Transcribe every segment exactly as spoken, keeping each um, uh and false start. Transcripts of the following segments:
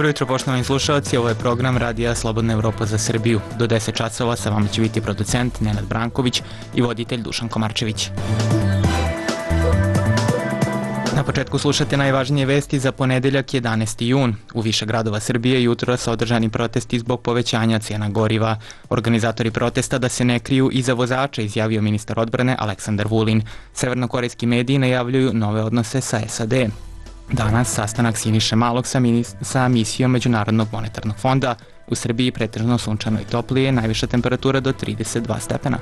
Dobro jutro, poštovani slušalci, ovo je program Radija Slobodna Evropa za Srbiju. Do deset časova sa vama će biti producent Nenad Branković i voditelj Dušan Komarčević. Na početku slušate najvažnije vesti za ponedeljak jedanaesti jun. U više gradova Srbije jutro su održani protesti zbog povećanja cena goriva. Organizatori protesta da se ne kriju iza vozača, izjavio ministar odbrane Aleksandar Vulin. Severnokorejski mediji najavljuju nove odnose sa S A D. Danas sastanak Siniše Malog sa, sa misijom Međunarodnog monetarnog fonda. U Srbiji pretežno sunčano i toplije, najviša temperatura do trideset dva stepena.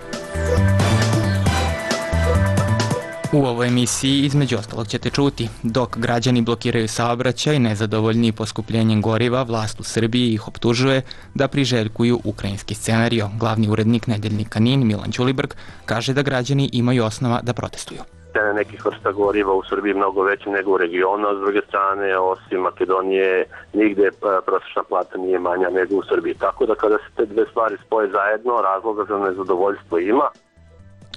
U ovoj emisiji između ostalog ćete čuti: dok građani blokiraju saobraćaj nezadovoljni poskupljenjem goriva, vlast u Srbiji ih optužuje da priželjkuju ukrajinski scenario. Glavni urednik nedeljnika Nin Milan Ćulibrk kaže da građani imaju osnova da protestuju. Cene nekih vrsta goriva u Srbiji mnogo veće nego u regionu, a s druge strane, osim Makedonije, nigde prosječna plata nije manja nego u Srbiji. Tako da kada se te dve stvari spoje zajedno, razloga za nezadovoljstvo ima.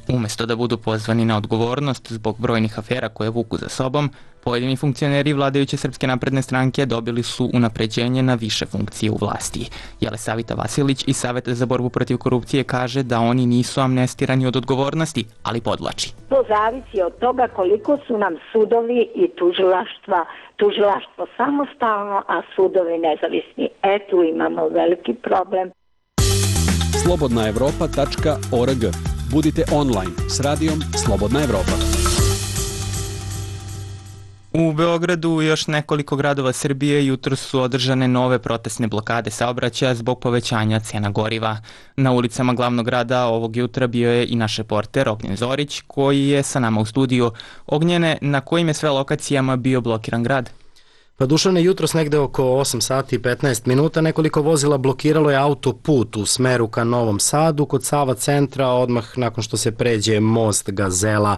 Umesto da budu pozvani na odgovornost zbog brojnih afera koje vuku za sobom, pojedini funkcioneri vladajuće Srpske napredne stranke dobili su unapređenje na više funkcije u vlasti. Jelesavita Vasilić iz Saveta za borbu protiv korupcije kaže da oni nisu amnestirani od odgovornosti, ali podvlači. To zavisi od toga koliko su nam sudovi i tužilaštva, tužilaštvo samostalno, a sudovi nezavisni. E, tu imamo veliki problem. slobodna evropa tačka org. Budite online s radijom Slobodna Evropa. U Beogradu i još nekoliko gradova Srbije jutro su održane nove protestne blokade saobraćaja zbog povećanja cena goriva. Na ulicama glavnog grada ovog jutra bio je i naš reporter Ognjen Zorić, koji je sa nama u studiju. Ognjene, na kojim je sve lokacijama bio blokiran grad? Pa Dušane, jutros negde oko osam sati i petnaest minuta nekoliko vozila blokiralo je autoput u smeru ka Novom Sadu kod Sava centra, odmah nakon što se pređe most Gazela.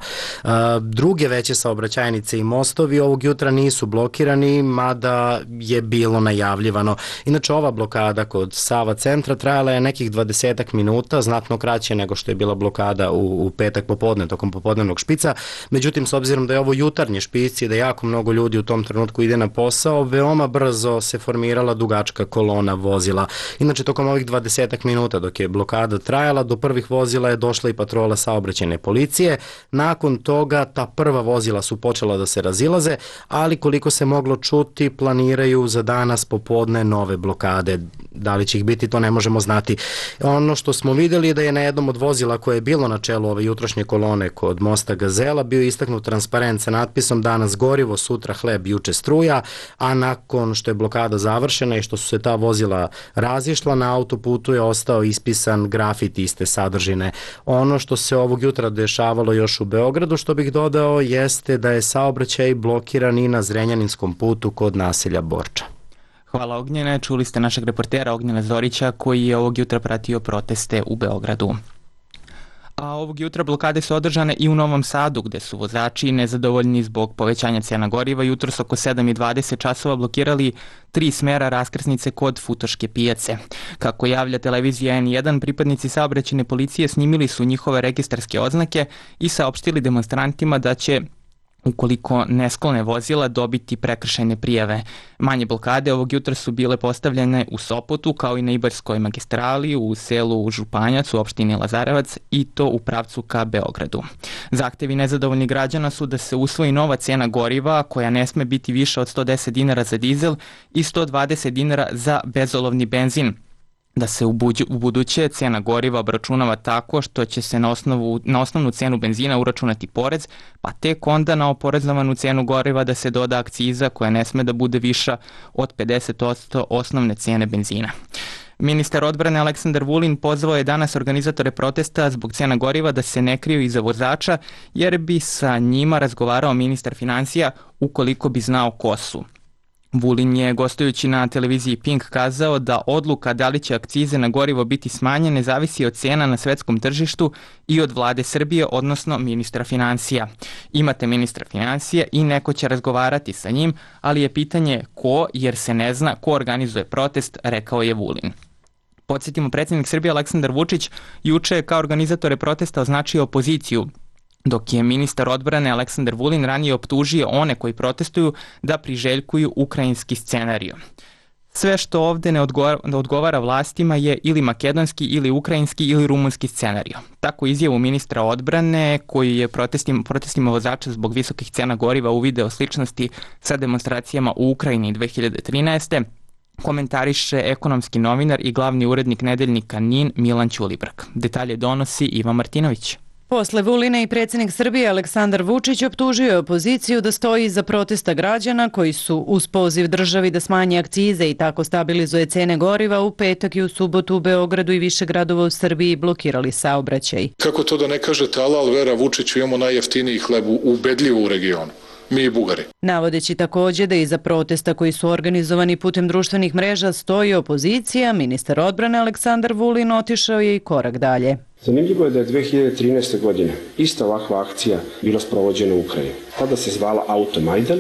Druge veće saobraćajnice i mostovi ovog jutra nisu blokirani, mada je bilo najavljivano. Inače, ova blokada kod Sava centra trajala je nekih dvadesetak minuta, znatno kraće nego što je bila blokada u, u petak popodne, tokom popodnevnog špica. Međutim, s obzirom da je ovo jutarnje špici i da jako mnogo ljudi u tom trenutku ide na posao, veoma brzo se formirala dugačka kolona vozila. Inače, tokom ovih dvadesetak minuta dok je blokada trajala, do prvih vozila je došla i patrola saobraćajne policije. Nakon toga ta prva vozila su počela da se razilaze, ali koliko se moglo čuti, planiraju za danas popodne nove blokade. Da li će ih biti, to ne možemo znati. Ono što smo vidjeli je da je na jednom od vozila koje je bilo na čelu ove jutrošnje kolone kod mosta Gazela bio istaknut transparent sa natpisom danas gorivo, sutra hleb, juče struja, a nakon što je blokada završena i što su se ta vozila razišla, na autoputu je ostao ispisan grafit iste sadržine. Ono što se ovog jutra dešavalo još u Beogradu, što bih dodao, jeste da je saobraćaj blokiran i na Zrenjaninskom putu kod naselja Borča. Hvala Ognjene, čuli ste našeg reportera Ognjena Zorića koji je ovog jutra pratio proteste u Beogradu. A ovog jutra blokade su održane i u Novom Sadu, gde su vozači nezadovoljni zbog povećanja cena goriva jutros oko sedam i dvadeset časova blokirali tri smera raskrsnice kod Futoške pijace. Kako javlja televizija N jedan, pripadnici saobraćajne policije snimili su njihove registarske oznake i saopštili demonstrantima da će, ukoliko ne sklone vozila, dobiti prekršajne prijave. Manje blokade ovog jutra su bile postavljene u Sopotu, kao i na Ibarskoj magistrali, u selu Županjac, u opštini Lazarevac, i to u pravcu ka Beogradu. Zahtevi nezadovoljnih građana su da se usvoji nova cena goriva, koja ne sme biti više od sto deset dinara za dizel i sto dvadeset dinara za bezolovni benzin. Da se u, buđu, u buduće cena goriva obračunava tako što će se na, osnovu, na osnovnu cenu benzina uračunati porez, pa tek onda na oporezovanu cenu goriva da se doda akciza koja ne sme da bude viša od pedeset posto osnovne cene benzina. Ministar odbrane Aleksandar Vulin pozvao je danas organizatore protesta zbog cena goriva da se ne kriju iza vozača, jer bi sa njima razgovarao ministar finansija ukoliko bi znao ko su. Vulin je, gostujući na televiziji Pink, kazao da odluka da li će akcize na gorivo biti smanjene zavisi od cena na svetskom tržištu i od vlade Srbije, odnosno ministra finansija. Imate ministra finansija i neko će razgovarati sa njim, ali je pitanje ko, jer se ne zna ko organizuje protest, rekao je Vulin. Podsjetimo, predsjednik Srbije Aleksandar Vučić juče je kao organizatore protesta označio opoziciju, dok je ministar odbrane Aleksandar Vulin ranije optužio one koji protestuju da priželjkuju ukrajinski scenarijo. Sve što ovde ne odgovara, ne odgovara vlastima je ili makedonski, ili ukrajinski, ili rumunski scenario. Tako izjavu ministra odbrane, koji je protestima, protestima vozača zbog visokih cena goriva uvideo sličnosti sa demonstracijama u Ukrajini dve hiljade trinaeste. komentariše ekonomski novinar i glavni urednik nedeljnika N I N Milan Ćulibrk. Detalje donosi Ivan Martinović. Posle Vuline i predsjednik Srbije Aleksandar Vučić optužio je opoziciju da stoji iza protesta građana koji su uz poziv državi da smanji akcize i tako stabilizuje cene goriva u petak i u subotu u Beogradu i više gradova u Srbiji blokirali saobraćaj. Kako to da ne kažete alal vera Vučiću, imamo najjeftiniji hleb ubedljivo u regionu. Mi i Bugari. Navodeći također da iza protesta koji su organizovani putem društvenih mreža stoji opozicija, ministar odbrane Aleksandar Vulin otišao je i korak dalje. Zanimljivo je da je dve hiljade trinaeste. godine ista ovakva akcija bila sprovođena u Ukrajini. Tada se zvala Automajdan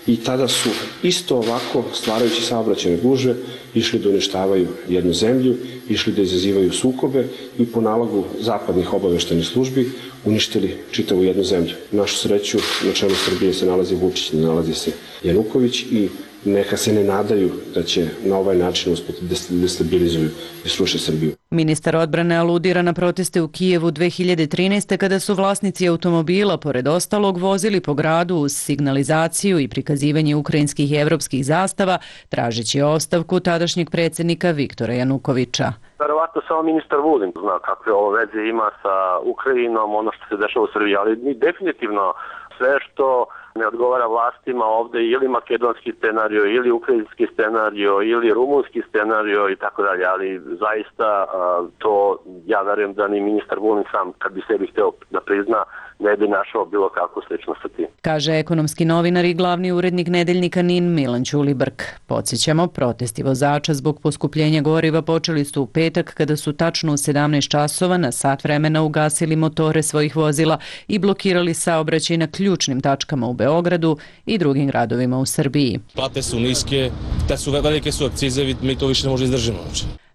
i tada su isto ovako, stvarajući saobraćajne gužve, išli da uništavaju jednu zemlju, išli da izazivaju sukobe i po nalogu zapadnih obaveštajnih službi uništili čitavu jednu zemlju. Našu sreću na čelu Srbije se nalazi Vučić, ne nalazi se Januković i neka se ne nadaju da će na ovaj način uspjeti destabilizuju i sruše Srbiju. Ministar odbrane aludira na proteste u Kijevu dve hiljade trinaeste. kada su vlasnici automobila, pored ostalog, vozili po gradu uz signalizaciju i prikazivanje ukrajinskih i evropskih zastava, tražeći ostavku tadašnjeg predsjednika Viktora Janukovića. Verovatno samo ministar Vulin zna kakve ovo veze ima sa Ukrajinom, ono što se dešava u Srbiji, ali definitivno sve što ne odgovara vlastima ovde, ili makedonski scenario, ili ukrajinski scenario, ili rumunski scenario i tako dalje, ali zaista to, ja verujem da ni ministar Vulin sam, kad bi sebi hteo da prizna, ne bi našao bilo kakvu sličnost sa tim. Kaže ekonomski novinar i glavni urednik nedeljnika N I N Milan Ćulibrk. Podsjećamo, protesti vozača zbog poskupljenja goriva počeli su u petak kada su tačno u sedamnaest časova na sat vremena ugasili motore svojih vozila i blokirali saobraćaj na ključnim tačkama u Beogradu i drugim gradovima u Srbiji. Plate su niske, te su velike su akcize, mi to više ne možemo izdržimo.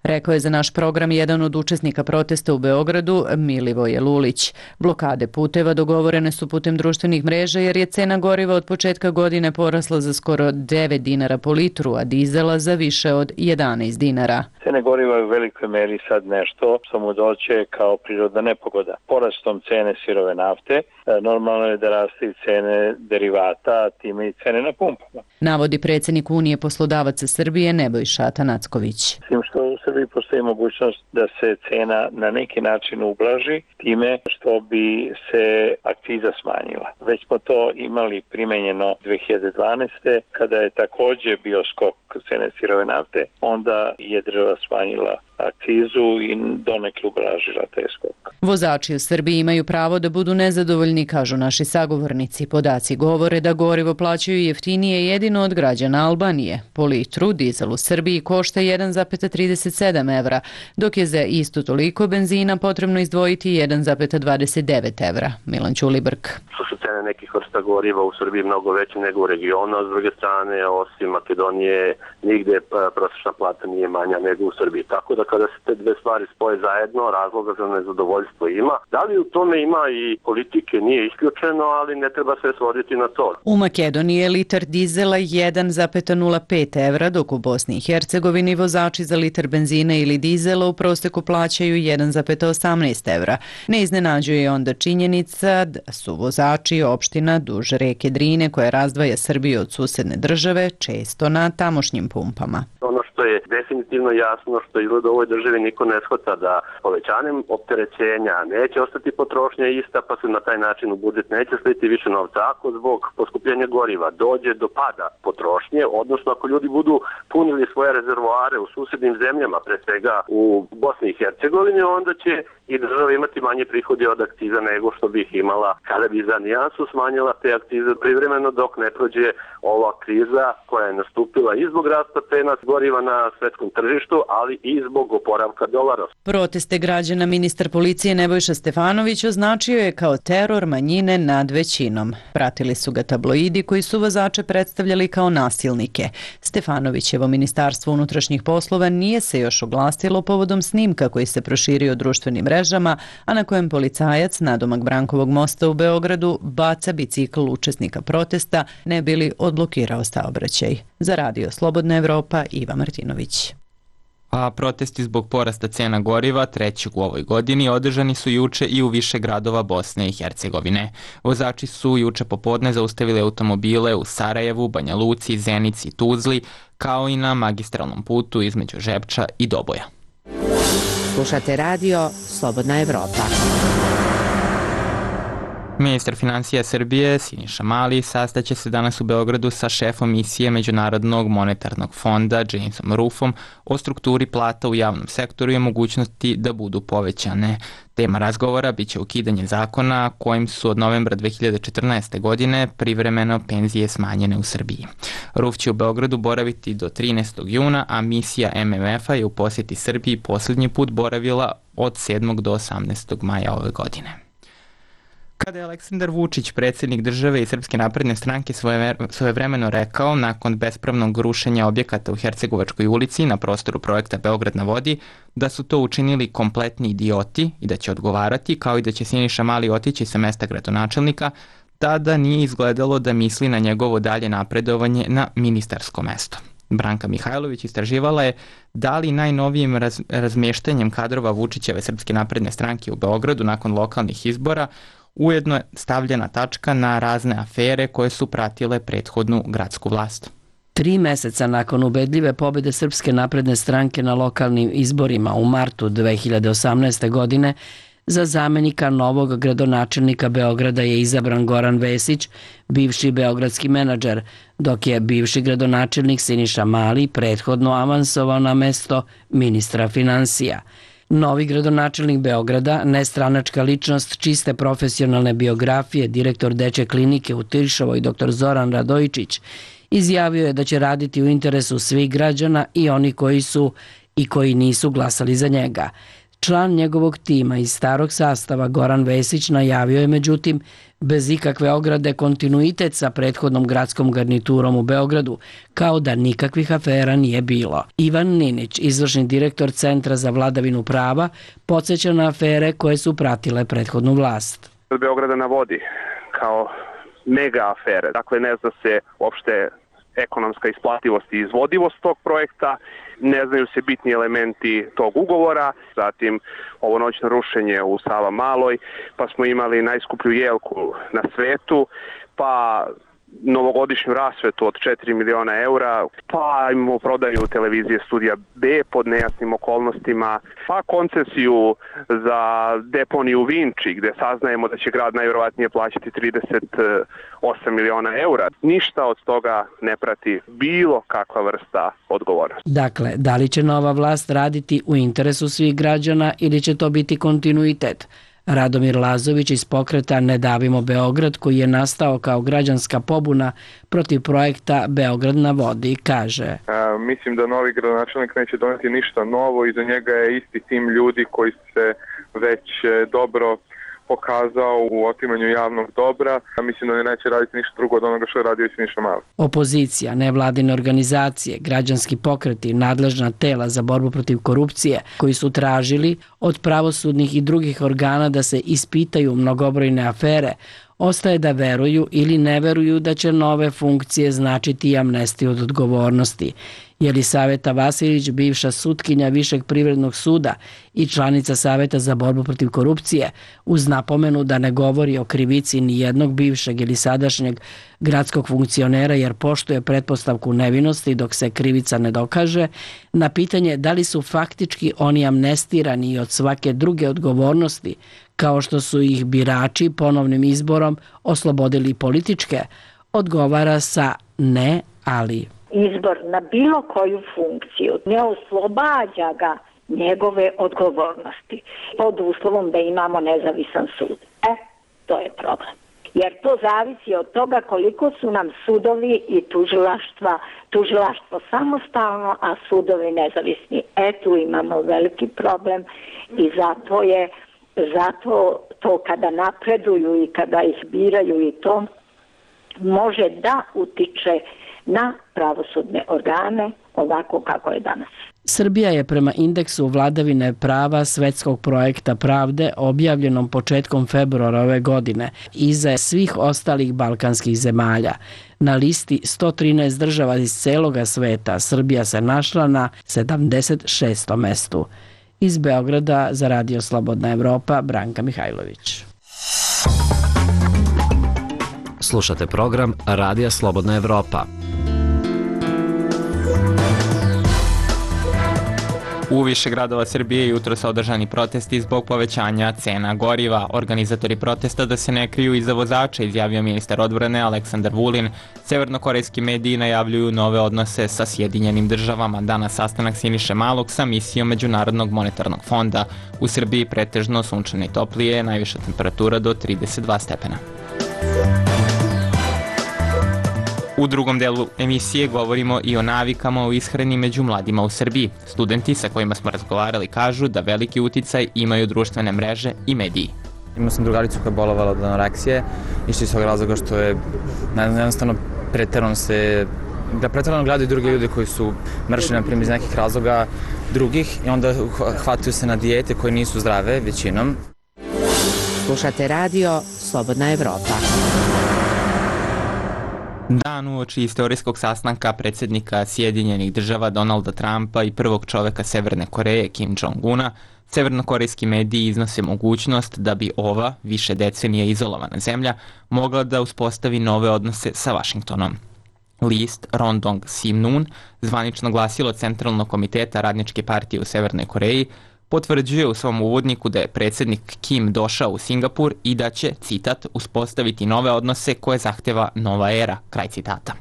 Rekao je za naš program jedan od učesnika protesta u Beogradu, Milivoje Lulić. Blokade puteva dogovorene su putem društvenih mreža jer je cena goriva od početka godine porasla za skoro devet dinara po litru, a dizela za više od jedanaest dinara. Cene goriva je u velikoj meri sad nešto što mu doće kao prirodna nepogoda. Porastom cene sirove nafte, normalno je da raste i cene derivata, a time i cene na pumpama. Navodi predsjednik Unije poslodavaca Srbije Nebojša Atanacković. Tim što u Srbiji postoji mogućnost da se cena na neki način ublaži time što bi se akciza smanjila. Već smo to imali primenjeno dve hiljade dvanaeste. kada je također bio skok cene sirove nafte, onda je država smanjila akcizu i donekle ublažila taj skok. Vozači u Srbiji imaju pravo da budu nezadovoljni, kažu naši sagovornici. Podaci govore da gorivo plaćaju jeftinije jedino od građana Albanije. Po litru dizel u Srbiji košta jedan zarez trideset sedam evra, dok je za isto toliko benzina potrebno izdvojiti jedan zarez dvadeset devet evra. Milan Ćulibrk. Što su cene nekih vrsta goriva u Srbiji mnogo veće nego u regionu, a s druge strane, osim Makedonije, nigde prosječna plata nije manja nego u Srbiji. Tako da kada se te dve stvari spoje zajedno, razloga za nezadovoljstvo ima. Da li u tome ima i politike, nije isključeno, ali ne treba se svoditi na to. U Makedoniji je litar dizela jedan zarez nula pet evra, dok u Bosni i Hercegovini vozači za litar benzina ili dizela u proseku plaćaju jedan zarez osamnaest evra. Ne iznenađuje onda činjenica da su vozači opština duž reke Drine, koja razdvaja Srbiju od susedne države, često na tamošnjim pumpama. Ono što je definitivno jasno, što izgleda u ovoj državi niko ne shvata, da povećanjem opterećenja neće ostati potrošnja ista, pa se na taj način u budžet neće sliti više novca. Ako zbog poskupljenja goriva dođe do pada potrošnje, odnosno ako ljudi budu punili svoje rezervoare u susednim zemljama, pre svega u Bosni i Hercegovini, onda će i država imati manje prihodi od akciza nego što bi ih imala kada bi za nijansu smanjila te akcize privremeno dok ne prođe ova kriza koja je nastupila i zbog rasta cena goriva na svetskom tržištu, ali i zbog zbog oporavka dolara. Proteste građana ministar policije Nebojša Stefanović označio je kao teror manjine nad većinom. Pratili su ga tabloidi koji su vozače predstavljali kao nasilnike. Stefanovićevo ministarstvo unutrašnjih poslova nije se još oglasilo povodom snimka koji se proširio društvenim mrežama, a na kojem policajac nadomak Brankovog mosta u Beogradu baca bicikl učesnika protesta ne bi li odblokirao saobraćaj. Za Radio Slobodna Evropa, Iva Martinović. A protesti zbog porasta cena goriva, trećeg u ovoj godini, održani su juče i u više gradova Bosne i Hercegovine. Vozači su juče popodne zaustavili automobile u Sarajevu, Banja Luci, Zenici i Tuzli, kao i na magistralnom putu između Žepča i Doboja. Slušate radio Slobodna Evropa. Ministar finansija Srbije Siniša Mali sastaće se danas u Beogradu sa šefom misije Međunarodnog monetarnog fonda Jamesom Ruffom o strukturi plata u javnom sektoru i mogućnosti da budu povećane. Tema razgovora biće ukidanje zakona kojim su od novembra dve hiljade četrnaeste. godine privremeno penzije smanjene u Srbiji. Ruff će u Beogradu boraviti do trinaestog juna, a misija M M F-a je u posjeti Srbiji posljednji put boravila od sedmog do osamnaestog maja ove godine. Kada je Aleksandar Vučić, predsjednik države i Srpske napredne stranke, svojevremeno rekao nakon bespravnog rušenja objekata u Hercegovačkoj ulici na prostoru projekta Beograd na vodi da su to učinili kompletni idioti i da će odgovarati, kao i da će Siniša Mali otići sa mesta gradonačelnika, tada nije izgledalo da misli na njegovo dalje napredovanje na ministarsko mesto. Branka Mihajlović istraživala je da li najnovijim raz, razmještanjem kadrova Vučićeve Srpske napredne stranke u Beogradu nakon lokalnih izbora ujedno je stavljena tačka na razne afere koje su pratile prethodnu gradsku vlast. Tri meseca nakon ubedljive pobjede Srpske napredne stranke na lokalnim izborima u martu dve hiljade osamnaeste. godine, za zamenika novog gradonačelnika Beograda je izabran Goran Vesić, bivši beogradski menadžer, dok je bivši gradonačelnik Siniša Mali prethodno avansovao na mesto ministra finansija. Novi gradonačelnik Beograda, nestranačka ličnost čiste profesionalne biografije, direktor dečje klinike u Tiršovoj dr Zoran Radojičić, izjavio je da će raditi u interesu svih građana i oni koji su i koji nisu glasali za njega. Član njegovog tima iz starog sastava Goran Vesić najavio je međutim bez ikakve ograde kontinuitet sa prethodnom gradskom garniturom u Beogradu, kao da nikakvih afera nije bilo. Ivan Ninić, izvršni direktor Centra za vladavinu prava, podsjeća na afere koje su pratile prethodnu vlast. Beograda na vodi kao mega afere, dakle ne zna se uopšte ekonomska isplativost i izvodivost tog projekta, ne znaju se bitni elementi tog ugovora, zatim ovo noćno rušenje u Sava Maloj, pa smo imali najskuplju jelku na svetu, pa novogodišnju rasvetu od četiri miliona eura, pa imamo prodaju televizije Studija B pod nejasnim okolnostima, pa koncesiju za deponiju Vinči gde saznajemo da će grad najvjerovatnije plaćati trideset osam miliona eura. Ništa od toga ne prati bilo kakva vrsta odgovornosti. Dakle, da li će nova vlast raditi u interesu svih građana ili će to biti kontinuitet? Radomir Lazović iz pokreta Ne davimo Beograd, koji je nastao kao građanska pobuna protiv projekta Beograd na vodi, kaže. A, mislim da novi gradonačelnik neće doneti ništa novo, iza njega je isti tim ljudi koji se već dobro pokazao u otimanju javnog dobra, a mislim da ne neće raditi ništa drugo od onoga što je radio Siniša Mali. Opozicija, nevladine organizacije, građanski pokreti, nadležna tela za borbu protiv korupcije, koji su tražili od pravosudnih i drugih organa da se ispitaju mnogobrojne afere, ostaje da veruju ili ne veruju da će nove funkcije značiti amnestiju od odgovornosti. Jelisaveta Vasilić, bivša sutkinja Višeg privrednog suda i članica Saveta za borbu protiv korupcije, uz napomenu da ne govori o krivici ni jednog bivšeg ili sadašnjeg gradskog funkcionera jer poštuje pretpostavku nevinosti dok se krivica ne dokaže, na pitanje da li su faktički oni amnestirani i od svake druge odgovornosti, kao što su ih birači ponovnim izborom oslobodili političke, odgovara sa ne, ali... Izbor na bilo koju funkciju ne oslobađa ga njegove odgovornosti pod uslovom da imamo nezavisan sud. E, to je problem. jer to zavisi od toga koliko su nam sudovi i tužilaštva, tužilaštvo samostalno, a sudovi nezavisni. E tu imamo veliki problem i zato je, zato to kada napreduju i kada ih biraju i to može da utiče na pravosudne organe ovako kako je danas. Srbija je prema indeksu vladavine prava Svetskog projekta pravde objavljenom početkom februara ove godine iza svih ostalih balkanskih zemalja. Na listi sto trinaest država iz celoga sveta Srbija se našla na sedamdeset šestom mestu. Iz Beograda za Radio Slobodna Evropa, Branka Mihajlović. Slušate program Radija Slobodna Evropa. U više gradova Srbije jutro su održani protesti zbog povećanja cena goriva. Organizatori protesta da se ne kriju iza vozača, izjavio ministar odbrane Aleksandar Vulin. Severnokorejski mediji najavljuju nove odnose sa Sjedinjenim državama. Danas sastanak Siniše Malog sa misijom Međunarodnog monetarnog fonda. U Srbiji pretežno sunčano i toplije, najviša temperatura do trideset dva stepena. U drugom delu emisije govorimo i o navikama u ishrani među mladima u Srbiji. Studenti sa kojima smo razgovarali kažu da veliki uticaj imaju društvene mreže i mediji. Imao sam drugaricu koja je bolovala od anoreksije, išli iz tog razloga što je jednostavno preterano se, da preterano gledaju druge ljude koji su mršli, na primjer, iz nekih razloga drugih i onda hvataju se na dijete koje nisu zdrave većinom. Slušate radio Slobodna Evropa. Dan uoči istorijskog sastanka predsjednika Sjedinjenih država Donalda Trumpa i prvog čoveka Severne Koreje Kim Jong-una, severnokorejski mediji iznose mogućnost da bi ova, više decenije izolovana zemlja, mogla da uspostavi nove odnose sa Vašingtonom. List Rondong Simnun, zvanično glasilo Centralnog komiteta Radničke partije u Severnoj Koreji, potvrđuje u svom uvodniku da je predsjednik Kim došao u Singapur i da će, citat, uspostaviti nove odnose koje zahteva nova era, kraj citata.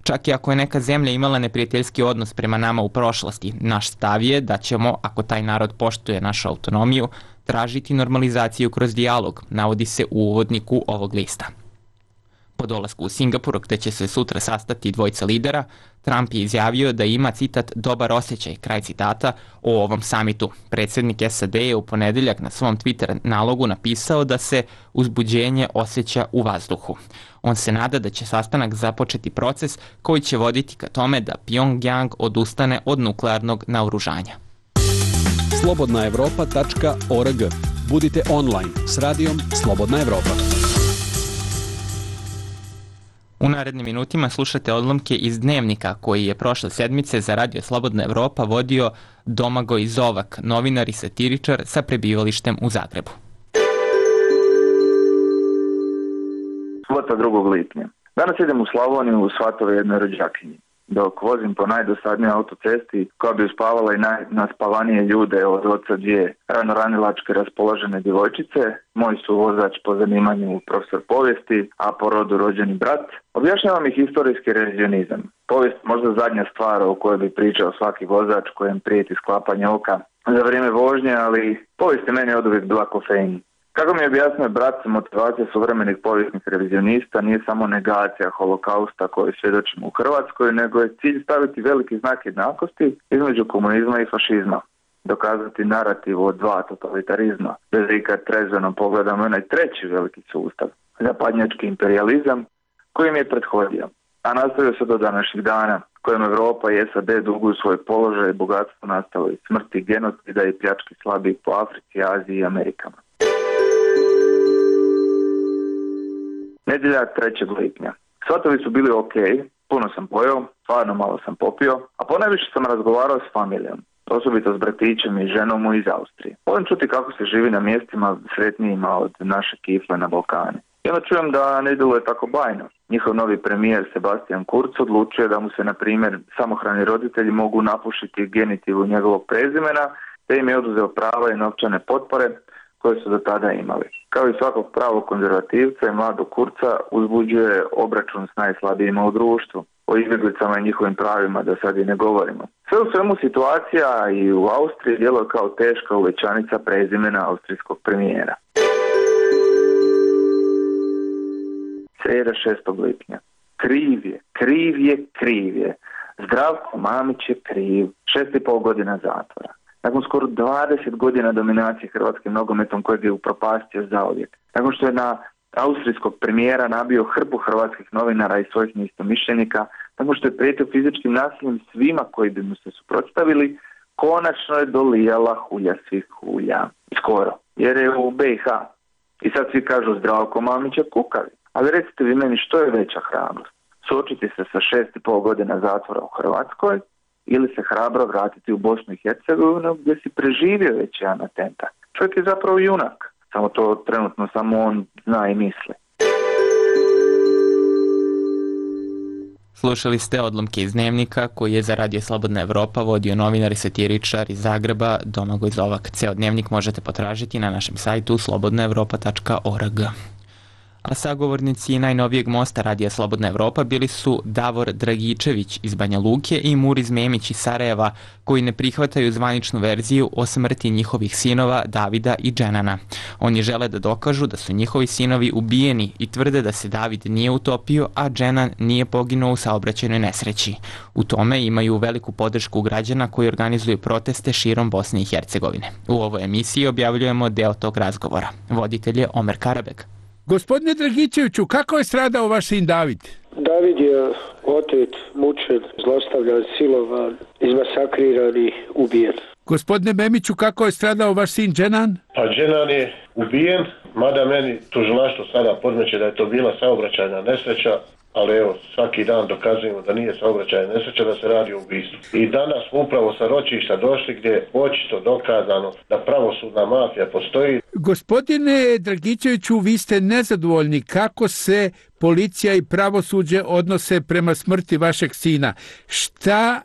Čak i ako je neka zemlja imala neprijateljski odnos prema nama u prošlosti, naš stav je da ćemo, ako taj narod poštuje našu autonomiju, tražiti normalizaciju kroz dijalog, navodi se u uvodniku ovog lista. Po dolasku u Singapur, gde će se sutra sastati dvojica lidera, Trump je izjavio da ima, citat, dobar osjećaj, kraj citata, o ovom samitu. Predsjednik S A D je u ponedeljak na svom Twitter nalogu napisao da se uzbuđenje osjeća u vazduhu. On se nada da će sastanak započeti proces koji će voditi ka tome da Pyongyang odustane od nuklearnog naoružanja. slobodna evropa tačka org. Budite online s radijom Slobodna Evropa. U narednim minutima slušate odlomke iz Dnevnika koji je prošle sedmice za Radio Slobodna Evropa vodio Domagoj Zovak, novinar i satiričar sa prebivalištem u Zagrebu. Subota drugog lipnja. Danas idem u Slavoniju u svatove jednoj rođakinji. Dok vozim po najdosadnijoj autocesti koja bi uspavala i najnaspavanije ljude od oca dvije ranoranilačke raspoložene djevojčice, moj su vozač po zanimanju profesor povijesti, a po rodu rođeni brat, objašnjavam ih historijski revizionizam. Povijest možda zadnja stvar o kojoj bi pričao svaki vozač kojem prijeti sklapanje oka za vrijeme vožnje, ali povijest je meni oduvijek bila kofein. Kako mi je objasnio brat, motivacija suvremenih povijesnih revizionista nije samo negacija holokausta koju svjedočimo u Hrvatskoj, nego je cilj staviti veliki znak jednakosti između komunizma i fašizma. Dokazati narativ od dva totalitarizma, bez ikad trezveno pogledamo onaj treći veliki sustav, zapadnjački imperializam, koji mi je prethodio, a nastavio se do današnjih dana, kojem Evropa i S A D duguju svoj položaj i bogatstvo nastalo iz smrti, genocida i pljački slabijih po Africi, Aziji i Amerikama. Nedjelja trećeg lipnja. Svatovi su bili ok, puno sam pojeo, stvarno malo sam popio, a ponajviše sam razgovarao s familijom, osobito s bratićem i ženom iz Austrije. Volim čuti kako se živi na mjestima sretnijima od naše kifle na Balkani. I onda čujem da ne djeluje tako bajno. Njihov novi premijer Sebastian Kurz odlučuje da mu se, na primjer, samohrani roditelji mogu napušiti genitivu njegovog prezimena, te im je oduzeo prava i novčane potpore koje su do tada imali. Kao i svakog pravog konzervativca i mladog Kurca uzbuđuje obračun s najslabijima u društvu. O izbjeglicama i njihovim pravima da sad i ne govorimo. Sve u svemu situacija i u Austriji djeluje kao teška uvećanica prezimena austrijskog premijera. Sreda šestog lipnja. Kriv je, kriv je, kriv je. Zdravko Mamić je kriv. Šest i pol godina zatvora. Nakon skoro dvadeset godina dominacije hrvatskim nogometom kojeg je upropastio zauvijek. Nakon što je na austrijskog premijera nabio hrpu hrvatskih novinara i svojih neistomišljenika, nakon što je prijetio fizičkim nasiljem svima koji bi mu se suprotstavili, konačno je dolijala hulja svih hulja. Skoro. Jer je u B i H. I sad svi kažu Zdravko Mamić je kukavi. Ali recite vi meni što je veća hrabrost? Suočiti se sa šest i pol godina zatvora u Hrvatskoj ili se hrabro vratiti u Bosnu i Hercegovinu gdje si preživio već jedan atentat. Čovjek je zapravo junak. Samo to trenutno samo on zna i misli. Slušali ste odlomke iz Dnevnika koji je za Radio Slobodna Evropa vodio novinar i satiričar iz Zagreba Domagoj Zovak. Ceo Dnevnik možete potražiti na našem sajtu slobodna evropa tačka org. A sagovornici najnovijeg mosta Radija Slobodna Evropa bili su Davor Dragičević iz Banja Luke i Muriz Memić iz Sarajeva, koji ne prihvataju zvaničnu verziju o smrti njihovih sinova Davida i Dženana. Oni žele da dokažu da su njihovi sinovi ubijeni i tvrde da se David nije utopio, a Dženan nije poginuo u saobraćajnoj nesreći. U tome imaju veliku podršku građana koji organizuju proteste širom Bosne i Hercegovine. U ovoj emisiji objavljujemo deo tog razgovora. Voditelj je Omer Karabek. Gospodine Dragičeviću, kako je stradao vaš sin David? David je otet, mučen, zlostavljan, silovan, izmasakriran i ubijen. Gospodine Memiću, kako je stradao vaš sin Dženan? Pa Dženan je ubijen, mada meni tužilaštvo sada podmeće da je to bila saobraćajna nesreća, ali evo, svaki dan dokazujemo da nije saobraćajna nesreća, da se radi o ubistvu. I danas smo upravo sa ročišta došli gdje je očito dokazano da pravosudna mafija postoji. Gospodine Dragičeviću, vi ste nezadovoljni kako se policija i pravosuđe odnose prema smrti vašeg sina. Šta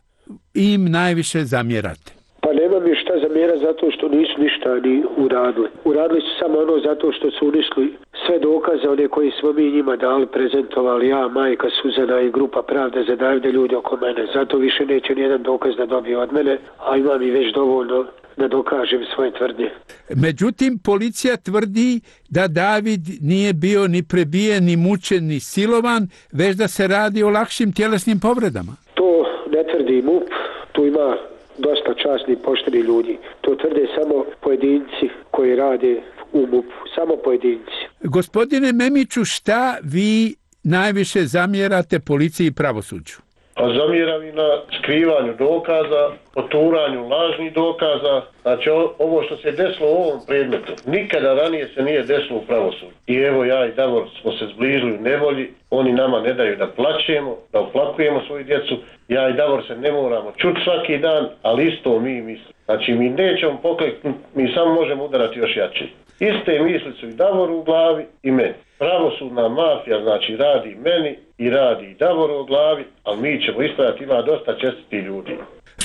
im najviše zamjerate? Pa nema mi šta zamjera zato što nisu ništa ni uradili. Uradili su samo ono zato što su uništili sve dokaze, one koje smo mi njima dali, prezentovali, ja, majka Suzana i grupa Pravde za Davida, ljudi oko mene. Zato više neće nijedan dokaz da dobije od mene, a imam i već dovoljno da dokažem svoje tvrdnje. Međutim, policija tvrdi da David nije bio ni prebijen, ni mučen, ni silovan, već da se radi o lakšim tjelesnim povredama. To ne tvrdi M U P, tu ima dosta časnih, poštenih ljudi. To tvrde samo pojedinci koji rade u M U P-u, samo pojedinci. Gospodine Memiću, šta vi najviše zamjerate policiji i pravosuđu? Pa zamjeram i na skrivanju dokaza, poturanju lažnih dokaza. Znači ovo što se desilo u ovom predmetu, nikada ranije se nije desilo u pravosuđu. I evo ja i Davor smo se zbližili u nevolji, oni nama ne daju da plačemo, da oplakujemo svoju djecu. Ja i Davor se ne moramo čuti svaki dan, ali isto mi mislimo. Znači mi nećemo pokleknuti, mi samo možemo udarati još jače. Iste misli su i Davoru u glavi i meni. Pravosudna mafija znači radi meni i radi i Davoru u glavi, ali mi ćemo ispraviti, ima dosta čestiti ljudi.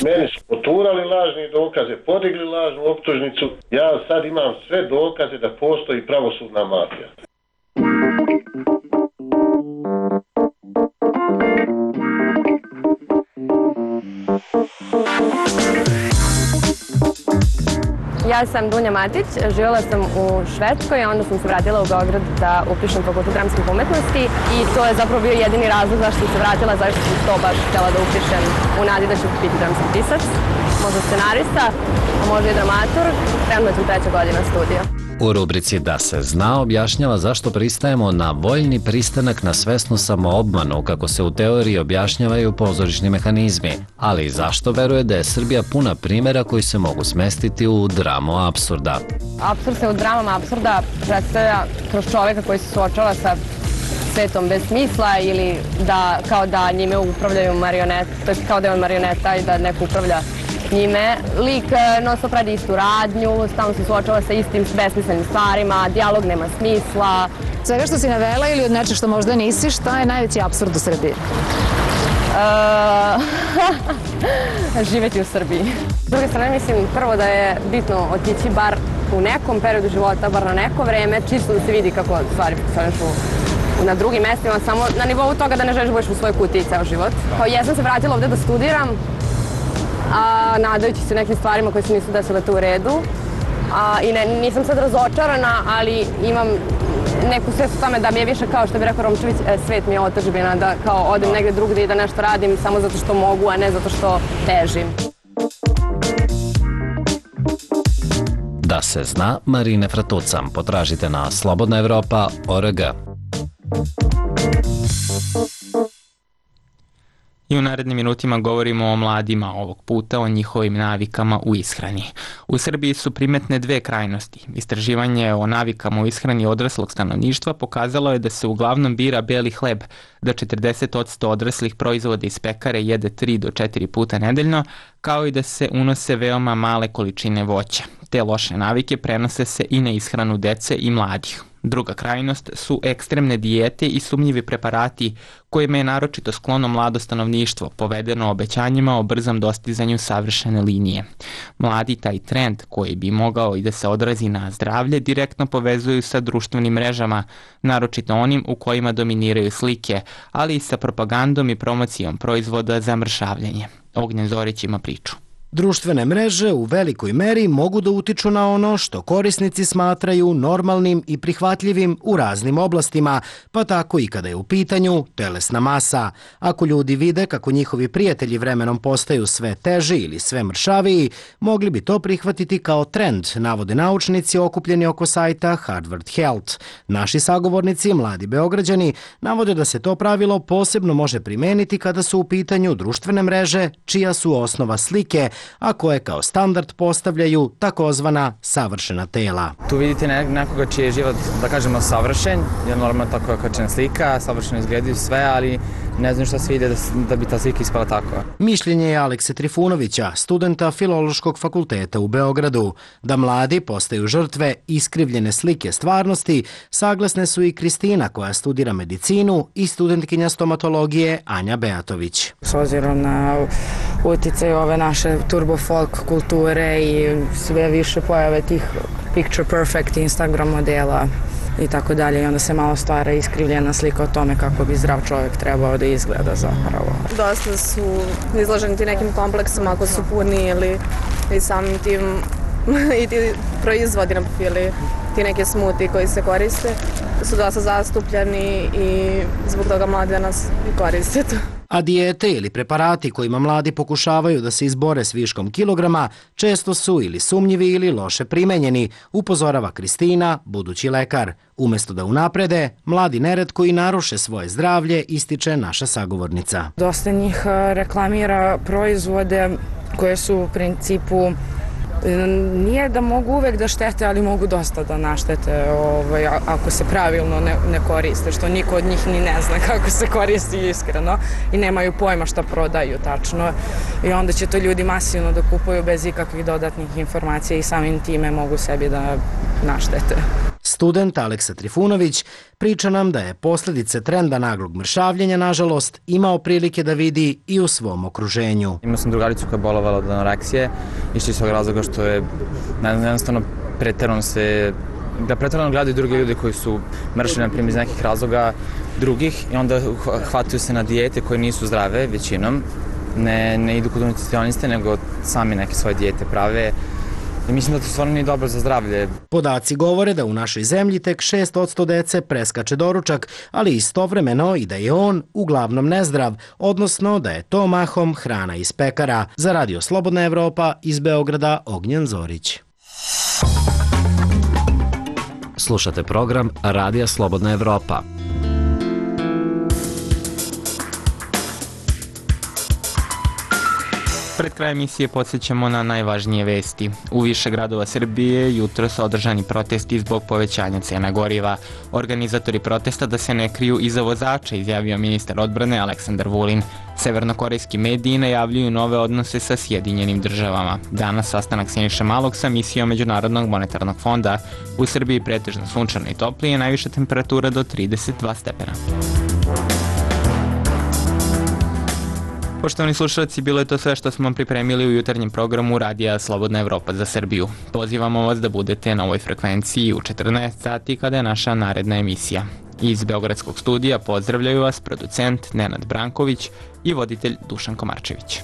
Meni su poturali lažne dokaze, podigli lažnu optužnicu, ja sad imam sve dokaze da postoji pravosudna mafija. Ja sam Dunja Matić, živjela sam u Švedskoj, a onda sam se vratila u Beograd da upišem fakultet dramskih umetnosti i to je zapravo bio jedini razlog zašto sam se vratila, zašto sam to baš htjela da upišem u nadi da ću biti dramski pisac, možda scenarista, a možda i dramaturg, trenutno je tu treća godina studija. U rubrici Da se zna objašnjava zašto pristajemo na voljni pristanak na svesnu samoobmanu, kako se u teoriji objašnjavaju pozorišni mehanizmi, ali i zašto veruje da je Srbija puna primjera koji se mogu smestiti u dramu apsurda. Apsurd se u dramama apsurda predstavlja kroz čovjeka koji se suočava sa svetom bez smisla ili da kao da njime upravljaju marionete, to je kao da je on marioneta i da neko upravlja njime. Lik non stop radi istu radnju, stalno se suočava sa istim besmislenim stvarima, dijalog nema smisla. Svega što si navela ili od nečeg što možda nisi, šta je najveći apsurd u Srbiji? Uh, živjeti u Srbiji. S druge strane mislim prvo da je bitno otići bar u nekom periodu života, bar na neko vreme, čisto da se vidi kako stvari funkcionišu na drugim mestima, samo na nivou toga da ne želiš budeš u svojoj kutiji ceo život. Kao ja sam se vratila ovde da studiram, a nadajući se nekim stvarima koje se nisu desile tu u redu. A, I ne, nisam sad razočarana, ali imam neku svest o tome da mi je više, kao što bi rekao Romčević, svet mi je otadžbina, da kao odem negde drugde i da nešto radim samo zato što mogu, a ne zato što težim. Da se zna, Marine Fratucam. Potražite na slobodna evropa tačka org. I u narednim minutima govorimo o mladima, ovog puta o njihovim navikama u ishrani. U Srbiji su primetne dve krajnosti. Istraživanje o navikama u ishrani odraslog stanovništva pokazalo je da se uglavnom bira beli hleb, da četrdeset posto odraslih proizvoda iz pekare jede tri do četiri puta nedeljno, kao i da se unose veoma male količine voća. Te loše navike prenose se i na ishranu dece i mladih. Druga krajnost su ekstremne dijete i sumnjivi preparati kojima je naročito sklono mlado stanovništvo, povedeno obećanjima o brzom dostizanju savršene linije. Mladi taj trend, koji bi mogao i da se odrazi na zdravlje, direktno povezuju sa društvenim mrežama, naročito onim u kojima dominiraju slike, ali i sa propagandom i promocijom proizvoda za mršavljenje. Ognjen Zorić ima priču. Društvene mreže u velikoj meri mogu da utiču na ono što korisnici smatraju normalnim i prihvatljivim u raznim oblastima, pa tako i kada je u pitanju telesna masa. Ako ljudi vide kako njihovi prijatelji vremenom postaju sve teži ili sve mršaviji, mogli bi to prihvatiti kao trend, navode naučnici okupljeni oko sajta Harvard Health. Naši sagovornici, mladi Beograđani, navode da se to pravilo posebno može primeniti kada su u pitanju društvene mreže, čija su osnova slike, a koje kao standard postavljaju takozvana savršena tela. Tu vidite nekoga čiji je život, da kažemo, savršen, je normalno tako je kačena slika, savršeno izgledaju sve, ali ne znam šta se vide da, da bi ta slika ispala tako. Mišljenje je Alekse Trifunovića, studenta Filološkog fakulteta u Beogradu. Da mladi postaju žrtve iskrivljene slike stvarnosti, saglasne su i Kristina koja studira medicinu i studentkinja stomatologije Anja Beatović. S obzirom na uticaj ove naše turbo folk kulture i sve više pojave tih picture perfect Instagram modela i tako dalje, i onda se malo stvara iskrivljena slika o tome kako bi zdrav čovjek trebao da izgleda zapravo. Dosta su izloženi ti nekim kompleksima ako su puni ili i samim tim i ti proizvodi ili ti neke smuti koji se koriste su dosta zastupljeni i zbog toga mladi danas i koriste to. A dijete ili preparati kojima mladi pokušavaju da se izbore s viškom kilograma često su ili sumnjivi ili loše primenjeni, upozorava Kristina, budući lekar. Umesto da unaprede, mladi neretko i naruše svoje zdravlje, ističe naša sagovornica. Dosta njih reklamira proizvode koje su u principu nije da mogu uvek da štete, ali mogu dosta da naštete ovaj, ako se pravilno ne, ne koriste, što niko od njih ni ne zna kako se koristi iskreno i nemaju pojma šta prodaju tačno i onda će to ljudi masivno da kupuju bez ikakvih dodatnih informacija i samim time mogu sebi da naštete. Student Aleksa Trifunović priča nam da je posljedice trenda naglog mršavljenja, nažalost, imao prilike da vidi i u svom okruženju. Imao sam drugaricu koja je bolovala od anoreksije, išli iz svog razloga što je jednostavno preterano se, da preterano gledaju drugi ljudi koji su mršeni, na primjer, iz nekih razloga drugih i onda hvataju se na dijete koje nisu zdrave većinom, ne, ne idu kod nutricioniste, nego sami neke svoje dijete prave. I mislim da to stvarno nije dobro za zdravlje. Podaci govore da u našoj zemlji tek šest posto dece preskače doručak, ali istovremeno i da je on uglavnom nezdrav, odnosno da je to mahom hrana iz pekara. Za Radio Slobodna Evropa iz Beograda, Ognjen Zorić. Slušate program Radija Slobodna Evropa. Pred kraj emisije podsjećamo na najvažnije vesti. U više gradova Srbije jutro su održani protesti zbog povećanja cena goriva. Organizatori protesta da se ne kriju iza vozača, izjavio ministar odbrane Aleksandar Vulin. Severnokorejski mediji najavljuju nove odnose sa Sjedinjenim državama. Danas sastanak Siniše Malog sa misijom Međunarodnog monetarnog fonda. U Srbiji pretežno sunčano i toplije, najviša temperatura do trideset dva stepena. Poštovani slušalci, bilo je to sve što smo vam pripremili u jutarnjem programu Radija Slobodna Evropa za Srbiju. Pozivamo vas da budete na ovoj frekvenciji u četrnaest sati kada je naša naredna emisija. Iz Beogradskog studija pozdravljaju vas producent Nenad Branković i voditelj Dušan Komarčević.